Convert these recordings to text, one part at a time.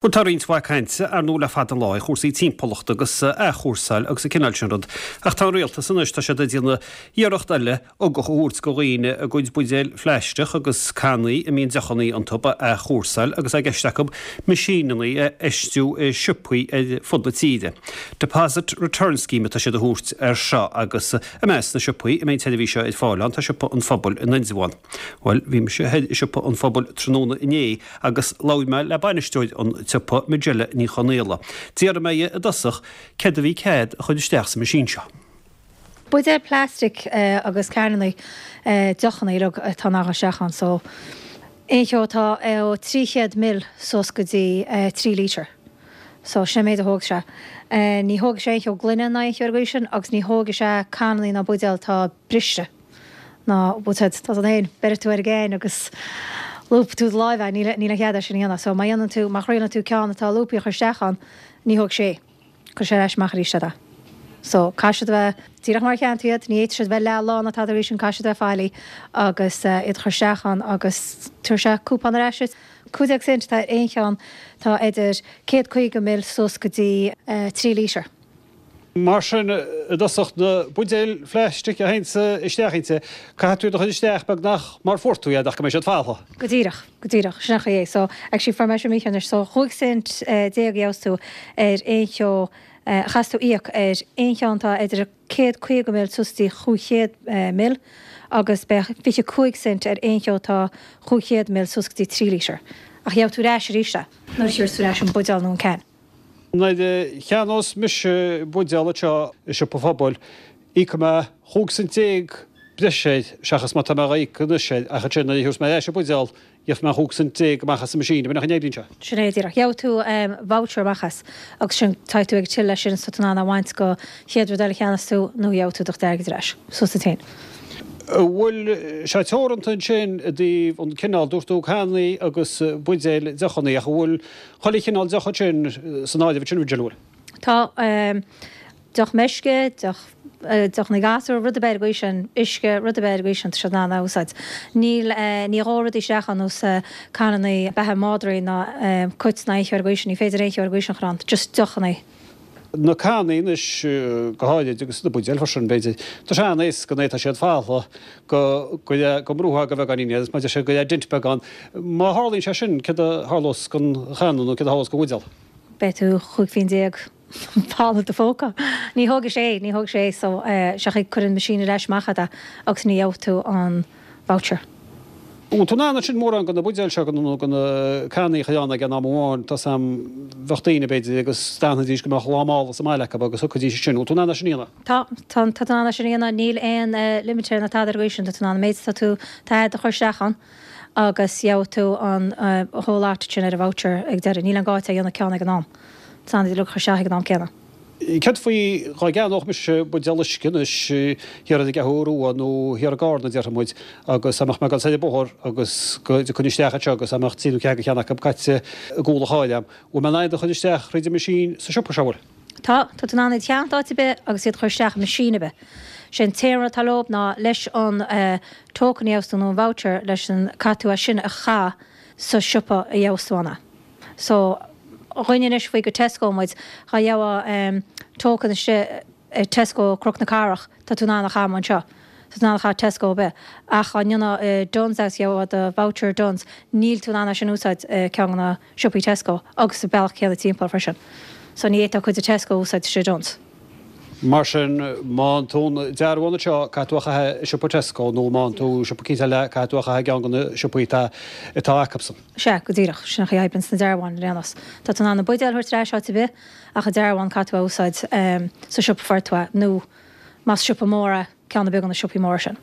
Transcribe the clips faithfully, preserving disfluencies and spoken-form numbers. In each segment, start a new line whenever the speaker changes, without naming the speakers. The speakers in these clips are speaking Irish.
Bhuel, tá roinnt mhaith cainte ar ndóigh le fada an lá ar chúrsaí timpeallachta agus athchúrsáil agus an cineál sin rud. Ach tá an rialtas anois, tá siad ag déanamh iarracht eile ugach a thabhairt go dhaoine a gcuid buidéil phlaisteach agus cannaí a mbíonn deochannaí iontu a athchúrsáil agus é i gceist acu meaisíneanna a fheistiú i siopaí ar fud na tíre. Deposit Return Scheme atá siad a thabhairt air seo agus i measc na siopaí a mbeidh an tseirbhís seo ar fáil ann tá Siopa an Phobail in Indreabhán. Bhuel, bhí mise thoir i Siopa an Phobail tráthnóna inné agus labhair mé le bainisteoir an tsiopa, Majella Ní Chonaola. D'iarr mé i dtosach céard a bhí cead a chur isteach sa meaisín seo.
Buidéal plastic agus cannaí deochanna uilig atá in ann a dhul isteach ann so aon cheo atá ó trí chéad mil suas go dtí trí lítear. So sin an méid a thógfaidh sé. Ní thógfaidh sé aon cheo gloine ná aon cheo ar an gcaoi sin agus ní thógfaidh sé cannaí ná buidéal atá briste. Ná bhfuil tá san fhéin, beirfidh tú ar an gceann agus lúbfaidh tú do láimh é, níl níl aon chead é sin a dhéanamh. So má dhéanann tú, má thriaileann tú ceann atá lúbtha a chur isteach ann, ní thógfaidh sé é. Cuirfidh sé ar ais amach arís é. So caithfidh siad a bheith díreach mar a cheannaigh tú iad, ní fhéadfaidh siad a bheith leath lán ná tada arís sin, caithfidh siad a bheith faillí agus iad a chur isteach ann agus tabharfaidh sé cúpón ar ais duit. Cúig déag cent atá ar aon cheann atá idir céad caoga mil suas go dtí trí lítear.
Mar sin, i dtosach, na buidéil phlaistic a théann isteach inti, caithfidh tú iad a chur isteach beagnach mar fuair tú iad ach go mbeidh siad faltha.
Go díreach, go díreach, sin an chaoi é. So, actually fuair mé seo mícheart anois, so chúig cent déag a gheobhas tú ar aon cheo, a chaithfeas tú íoc ar aon cheann atá idir céad caoga mil suas dtí chúig chéad mil agus beidh fiche cúig cent ar aon cheo atá chúig chéad mil suas go dtí trí lítear. Ach gheobhaidh tú ar ais arís é nuair a thiúrfas tú ar ais an buidéal nó an can.
Nuair a cheannós mise buidéal anseo i Siopa an Phobail, íocfaidh mé chúig cent déag breise air seachas mar atá mé á íoc anois air, ach ansin nuair a thiúrfas mé ar ais an buidéal, gheobhaidh mé an chúig cent déag amach as an machine, ab in an chaoi a n-oibríonn sé?
Sin é díreach. Gheobhaidh tú voucher amach as agus sin, tá tú ag till leis sin so tá tú in ann é a bhaint go chéad rud eile a cheannas tú nó gheobhaidh tú do chuid airgid ar ais suas duit féin.
An bhfuil sé teoranta ansin i dtaobh an cineál, dúirt tú cannaí agus buidéil deochannaí, ach an bhfuil chuile chineál deoch ansin san áireamh ansin, an bhfuil?
Tá. Deoch meisce, deoch, deochannaí gasúr, rud ar bith ar an gcaoi sin, uisce, rud ar bith ar an gcaoi sin, tá siad in ann a úsáid. Níl, ní dhóigh rudaí isteach ann nós canannaí beatha madraí ná cait ná aon cheo ar an gcaoi sin, ní féidir aon cheo ar an gcaoi sin a chur ann, just deochannaí.
Na cannaí anois go háirid agus na buidéil freisin, b'fhéidir, tá sé an-éasca nuair atá siad faltha go go go mbrúfá go beagáinín iad agus mar a deir siad go raibh dent beag ann. Má tharlaíonn sé sin, céard a tharlós don channa nó céard a tharlós don bhuidéal?
Beidh tú chúig phingin déag faltha i do phóca. Ní thógfaidh sé é, ní thógfaidh sé é so seachas cuireann an machine ar ais amach é agus ní gheobhaidh tú an voucher.
Bhfuil tú in ann ansin mórán de na buidéil seo nó de na cannaí a chur ann ag an am amháin, tá 's a'm, bheadh daoine, b'fhéidir, agus d'fhanfaidís go mbeadh lá mála sa mbaile acu agus thiocfaidís ansin. Bhfuil tú in ann é sin a dhéanamh?
Tá, tá, tá tú in ann é sin a dhéanamh. Níl aon limit air ná tada ar an gcaoi sin. Tá tú in ann an méid atá tú, tá a'd a chur isteach ann agus gheobhaidh tú an whole lot sin ar an voucher ag deireadh. Níl aon gá duit é a dhéanamh ceann ag an am. Tá tú in ann iad uilig a chur isteach ag an am céanna.
Céard faoi dhá gceannódh mise buidéal uisce anois thiar ar an gCeathrú Rua nó thiar i gCarna, déarfaidh muid, agus dá mbeadh mé ag dul soir an bóthar agus go dtiocfainn isteach anseo agus dá mbeadh trí nó ceathair de cheann acu caite i gcúl an chairr a'm, bhfuil mé in ann iad a chur isteach thríd an machine sa siopa seo, bhfuil?
Tá, tá tú in ann iad a cheannacht áit ar bith agus iad a chur isteach i machine ar bith. Sé an t-aon rud atá leob ná leis an token a gheobhas tú nó an voucher leis an, caithfidh tú é sin a chaith sa siopa a gheobhas tú ann é. So, dhuine anois faoi go Tesco muid, dhá gheobhá token istigh i Tesco Cnoc na Cathrach, tá tú in ann a chaitheamh anseo. Tá tú in ann a chaitheamh Tesco ar bith. Ach dhá ndéanfá i Dunnes agus gheobhá do voucher Dunnes, níl tú in ann é sin a úsáid i ceann de na siopaí Tesco agus sa bealach céanna timpeall freisin. So ní fhéadfá cuid de Tesco a úsáid istigh i Dunnes.
Mar sin, má fhaigheann tú an dearbhán anseo, caithfidh tú a chaitheamh i siopa Tesco nó má fhaigheann tú i siopa eicínt eile, caithfidh tú a chaitheamh i gceann de na siopaí atá atá acusan.
Sea, go díreach. Sin an chaoi a oibríonn sna dearbháin ar aon nós. Tá tú in ann na buidéil a thabhairt ar ais áit ar bith, ach an dearbhán caithfidh tú a úsáid sa siopa a fuair tú é, nó más siopa mór é, ceann ar bith de na siopaí móra sin.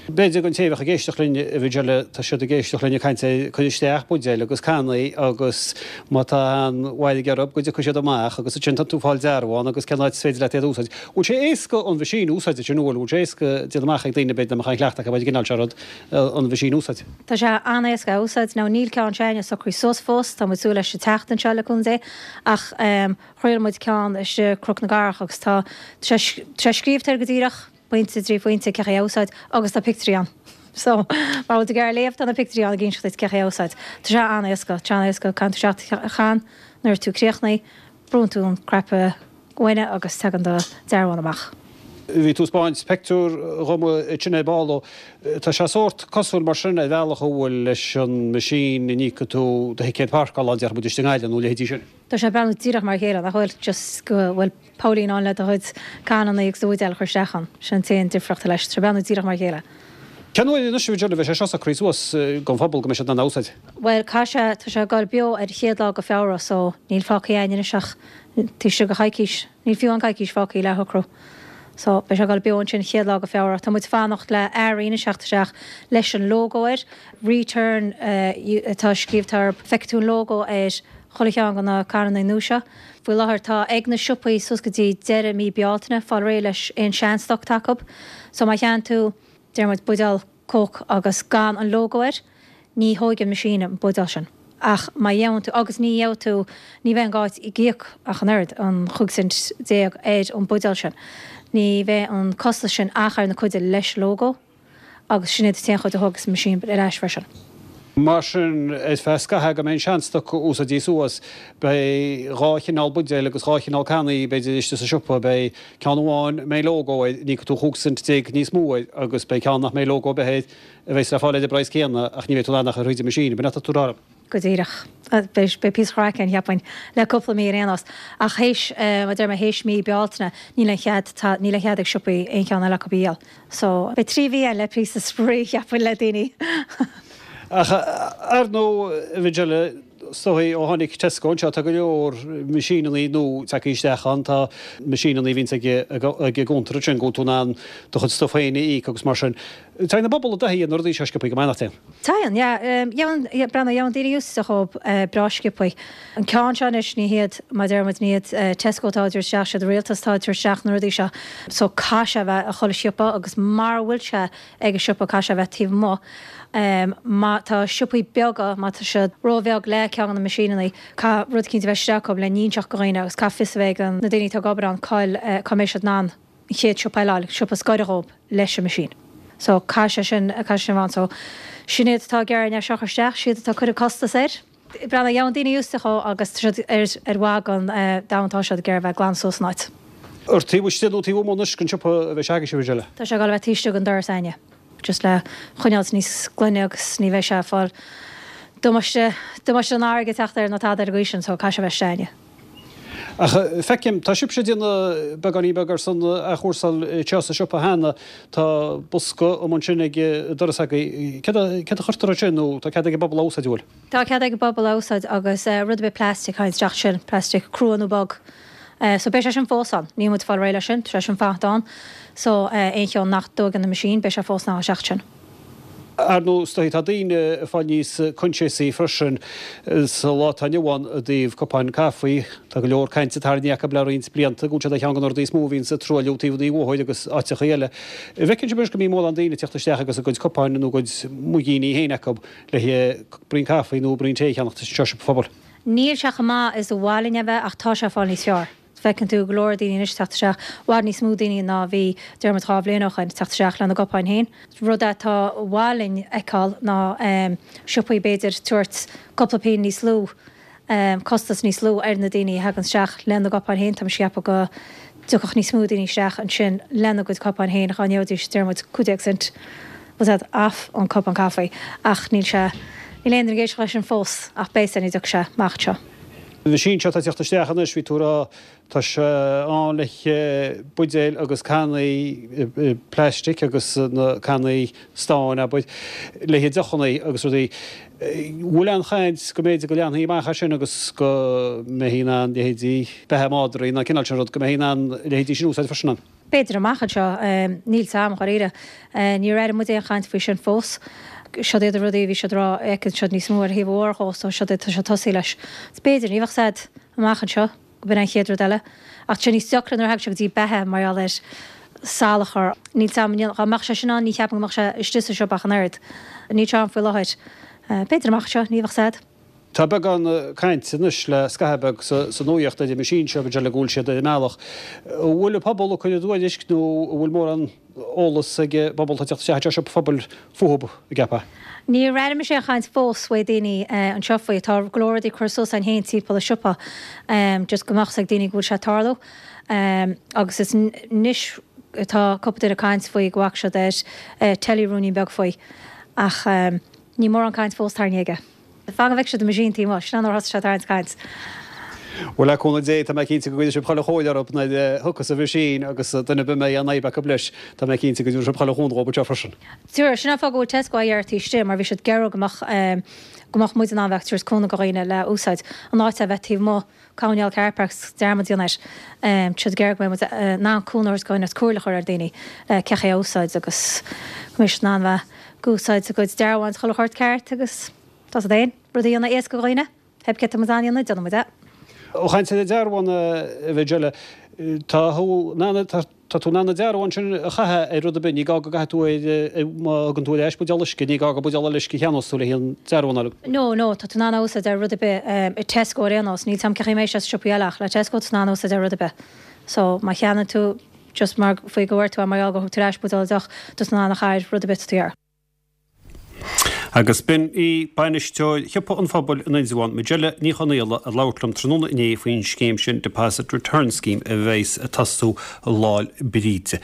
B'fhéidir don té a bheadh ag éisteacht linn, a Mhajella, tá siad ag éisteacht linn ag caint ar cur isteach buidéil agus cannaí agus má tá an-mhairg orthu go dtiocfaidh siad amach agus ansin tá tú ag fáil dearbhán agus cén áit is féidir leat iad a úsáid. Bhfuil sé éasca an machine a úsáid ansin, bhfuil? Bhfuil sé éasca déanamh amach ag daoine b'fhéidir nach mbeadh aon chleachtadh acu ar an gcineál seo rud, an machine a úsáid?
Tá sé an-éasca a úsáid. Now níl ceann s'againne socraithe suas fós, tá muid súil leis an tseachtain seo le cúnamh Dé ach thriail muid ceann istigh i Cnoc na gCathrach agus tá tá sé scríobhta air go díreach. pointe, trí phointe, cén chaoi a úsáid agus tá pictiúirí ann. So, má bhfuil tú ag iarraidh léamh tá na pictiúirí ann ag inseacht duit cén chaoi a úsáid. Tá sé an-éasca, tá sé an-éasca, caitheann tú isteach do chan Nuair tú críochnaithe, brúnn tú an cnaipe gloine agus tagann do dearbhán amach.
Bhí tú ag 'spáint pictiúr dhom ansin ar ball. Tá sé sórt cosúil mar sin ar bhealach a bhfuil leis an machine a n-íocann tú do thicéad páirceála, déarfaidh muid istigh i nGaillimh nó leithéidí sin.
Tá sé ag breathnú díreach mar a chéile, nach bhfuil? Just go bhfuil póilín ann le do chuid cananna agus do bhuidéal a chur isteach ann. Sin an t-aon difríocht leis. Tá sé ag breathnú díreach mar a chéile.
Cén uair anois a bheidh sé seo socraithe suas don phobal go mbeidh siad in ann a úsáid?
Bhuel, caithfidh sé, tá sé ag dul beo ar an chéad lá go Feabhra so níl fágtha againn anois ach taobh istigh de choicís, níl fiú aon coicís fágtha le shocrú. So beidh sé ag dul beo ansin an chéad lá go Feabhra. Tá muid fanacht le earraí anois teacht isteach leis an logo air, Return atá scríobhta orthu, feicfidh tú an logo ar chuile cheann de na cananna nua seo. Faoi láthair tá ag na siopaí suas go dtí deireadh mí Bealtaine fáil réidh leis aon sean-stoc atá acu. So má cheannaíonn tú Deir muid buidéal Coke agus gan an logo air, ní thóigfidh an machine an buidéal sin. Ach má gheobhann tú, agus ní gheobhaidh tú, ní bheidh an gá ag íoc ach an oiread, an chúig cent déag ar an buidéal sin. Ní bheidh an costas sin ach ar na cuid leis logo agus sin iad an t-aon chuid a thógfas an machine ar ais freisin.
Mar sin, ar feadh scaithimh go mbeidh an seanstoc úsáidte suas, beidh dhá chineál buidéil agus dhá chineál cannaí, b'fhéidir, istigh sa siopa. Beidh ceann amháin a mbeidh lógó air, n-íocfaidh tú chúig cent déag níos mó air, agus beidh ceann nach mbeidh lógó ar bith air, a bheas le fáil ar an bpraghas céanna, ach ní bheidh tú in ann ach a chur thríd an machine. B'in atá tú a rá liom?
Go díreach. Beidh píosa craic ann, cheapfainn, le cúpla mí ar aon nós. Ach théis, mar a deir mé, théis mí Bealtaine, níl aon chead, níl aon chead ag siopaí aon cheann eile acu a dhíol. So, beidh trí mhí ann le píosa spraoi, cheapfainn, le daoine.
Ach ar ndóigh, a Mhirjella, is dóigh ó tháinig Tesco anseo tá go leor meaisíneanna nua tagtha isteach ann. Tá meaisíneanna a bhíonns ag an gcuntar ansin go bhfuil tú in ann do chuid stuif féin a íoc agus mar sin. Téann an pobal i dtaithí ar na rudaí seo sciobthaí go maith, nach dtéann?
Téann, yeah. Gheobhann, breathnaigh, gheobhann daoine úsáid dhóibh breá sciobthaí. An ceann seo anois, ní hiad, mar a deir muid, ní hiad Tesco atá ag tabhairt isteach, siad an rialtas atá ag tabhairt isteach na rudaí seo. So caithfidh sé a bheith i chuile shiopa agus mara bhfuil sé ag an siopa caithfidh sé a bheith taobh amuigh. Má tá siopaí beaga, má tá siad róbheag le ceann de na meaisíneanna, caithfidh rud eicínt a bheith istigh acu le n-inseacht do dhaoine agus caithfidh fios a bheith ag na daoine atá ag obair ann cá'il, cá mbeidh siad in ann an chéad siopa eile a fháil, siopa is gaire dhóibh leis an machine. So caithfidh sé sin, caithfidh sé sin a bheith ann. So sin iad atá ag iarraidh é seo a chur isteach, siad atá ag cur an costas air. Breathnaigh, gheobhann daoine úsáid dhó agus tá siad ar, ar mhaith don domhan, tá siad ag iarraidh a bheith glan suas an áit.
Ar taobh istigh nó taobh amuigh anois den siopa a bheidh sé agaibhse, a Mhirjella?
Tá sé ag dul a bheith taobh istigh den doras a'inne. Just le choinneáilt níos glaine agus ní bheidh sé ag fáil damáiste, damáiste don fharraige ag teacht air ná tada ar an gcaoi sin so caithfidh sé a bheith istigh a'inne.
Ach feicim, tá sibhse ag déanamh beagáinín beag ar son athchúrsáil anseo sa siopa cheana, tá bosca amuigh ansin ag an doras agaibh. Céard a, céard a chuirtear ansin nó tá cead ag an bpobal a úsáid, an bhfuil?
Tá cead ag an bpobal a úsáid agus rud ar bith plastic a thagann isteach sin, plastic crua nó bog. So beidh sé sin fós ann. Níl muid ag fáil réidh leis sin, tá sé sin fanacht ann. So aon cheann nach dtóigeann an machine, beidh sé fós in ann isteach sin.
Ar ndóigh, is dóigh, tá daoine ag fáil níos coinsiasaí freisin sa lá atá inniu ann i dtaobh cupáin caife. Tá go leor cainte tarraingthe acu le roinnt blianta go bhfuil siad ar cheann de na rudaí is mó a bhíonn ag truailliú taobh an bhóthair agus áiteacha eile. An bhfeiceann sibh anois go mbíonn mórán daoine ag teacht isteach agus a gcuid cupáin nó a gcuid muigíní féin acu le braon caife nó braon tae a cheannacht anseo sa siopa phobail?
Níl sé chomh maith is a ba mhaith linn a bheith ach tá sé ag fáil níos fearr. Feiceann tú go leor daoine anois ag teacht isteach, i bhfad níos mó daoine ná a bhí, deir muid dhá bhliain ó shoin, ag teacht isteach lena gcupáin féin. Rud atá ba mhaith linn a fheiceáil ná siopaí b'fhéidir tabhairt cúpla pingin níos lú, costas níos lú ar na daoine a thagann isteach lena gcupáin féin. Tá mise ag ceapadh go dtiocfadh níos mó daoine isteach ansin lena gcuid cupáin féin dhá ngeobhaidís, deir muid, cúig déag cent, bhfuil a fhios a'd, off an cupán caife ach níl sé, níl aon duine ag éisteacht leis sin fós ach beidh sé nuair a dtiocfaidh sé amach anseo.
An machine seo atá ag teacht isteach anois, bhí tú ag rá, tá sé ann le buidéil agus cannaí plaistic agus na cannaí stáin, abair, le haghaidh deochanna agus rudaí. Bhfuil aon chaint go mb'fhéidir go leanfaí amach as sin agus go mbeifí in ann leithéidí beatha madraí nó an cineál sin rud, go mbeifí in ann a leithéidí sin a úsáid freisin ann?
B'fhéidir amach anseo, níl 's a'm, dháiríre. Níor airigh muid aon chaint faoi sin fós. Siod iad na rudaí a bhí siad ag rá, fheiceann siad níos mó ar thaobh an bhóthair dhó, so siod iad, tá siad tosaí leis. B'fhéidir, ní bheadh 's a'd amach anseo, go b'in an chéad rud eile. Ach tá sé níos deacra nuair a thagann sé go dtí beatha mar gheall ar salachar. Níl 's a'm, dá mbeadh sé sin ann, ní cheapaim go mbeadh sé istigh sa siopa ach an oiread. Níl sé ann faoi láthair. B'fhéidir amach anseo, ní bheadh 's a'd.
Tá beagán cainte anois le scaitheamh beag sa nuaíocht ar an meaisín seo go bhfuil siad ar a mbealach. An bhfuil an pobal ag cur a dtuairisc nó an bhfuil mórán eolas ag an bpobal atá ag teacht isteach anseo, siopa phobail fúthu, an gceapfá?
Níor airigh mise aon chaint fós uaidh daoine anseo faoi. Tá go leor rudaí curtha suas againn féin timpeall an siopa just go mbeadh 's ag daoine go bhfuil sé ag tarlú. Agus is anois atá cúpla duine ag caint faoi go bhfaca siad ar telly ruainnín beag faoi. Ach níl mórán caint fós tarraingthe aige. Fan go bhfeicfidh siad an meaisín taobh amuigh, sin an uair a thosaigh sé ag tarraingt caint.
Bhuel, le cúnamh Dé, tá mé cinnte go gcuirfidh sibh chuile chomhairle orthu nuair a thiocfas an mheaisín agus duine ar bith a mbeidh aon fhadhb acu leis, tá mé cinnte go dtabharfaidh sibh chuile chúnamh dhóibh anseo freisin.
Tabharfaidh. Sin an fáth go bhfuil Tesco á dhearadh taobh istigh mar bhí siad ag iarraidh go mbeadh go mbeadh muid in ann bheith ag tabhairt cúnamh do dhaoine le úsáid in áit é a bheith taobh amuigh, coinneáil car park 's dearmad a dhéanamh air. Tá siad ag iarraidh go mbeidh muid in ann cúnamh a thabhairt do dhaoine agus comhairle a chur ar dhaoine le cén chaoi é a úsáid agus go mbeidh siad in ann bheith ag úsáid a gcuid dearbháin chuile shórt ceart agus tá siad féin rud a dhéanamh éasca do dhaoine. Pé cé tá muid in ann a dhéanamh, déanfaidh muid é.
Ó chaint ar an dearbhán, a Mhajella, tá tú in ann, tá tú in ann an dearbhán sin a chaitheamh ar rud ar bith, ní gá go gcaithfidh tú ar, má thugann tú ar ais buidéal uisce, ní gá gur buidéal eile uisce a cheannós tú le haghaidh an dearbhán a fháil.
No, no, tá tú in ann a úsáid ar rud ar bith i Tesco ar aon nós, níl 's a'm cén chaoi a mbeidh sé sna siopaí eile ach le Tesco tá tú in ann a úsáid ar rud ar bith. So, má cheannaíonn tú just mar faoi go bhfuair tú é mar gheall gur thug tú ar ais buidéal deoch, tá tú in ann a chaitheamh ar rud ar bith atá tú iarraidh.
Agus b'in í bainisteoir Shiopa an Phobail in Indreabhán, Majella Ní Chonaola, ag labhairt liom tráthnóna inné faoin scéim sin, Deposit Return Scheme, a bheas ag tosú Lá'l Bríde.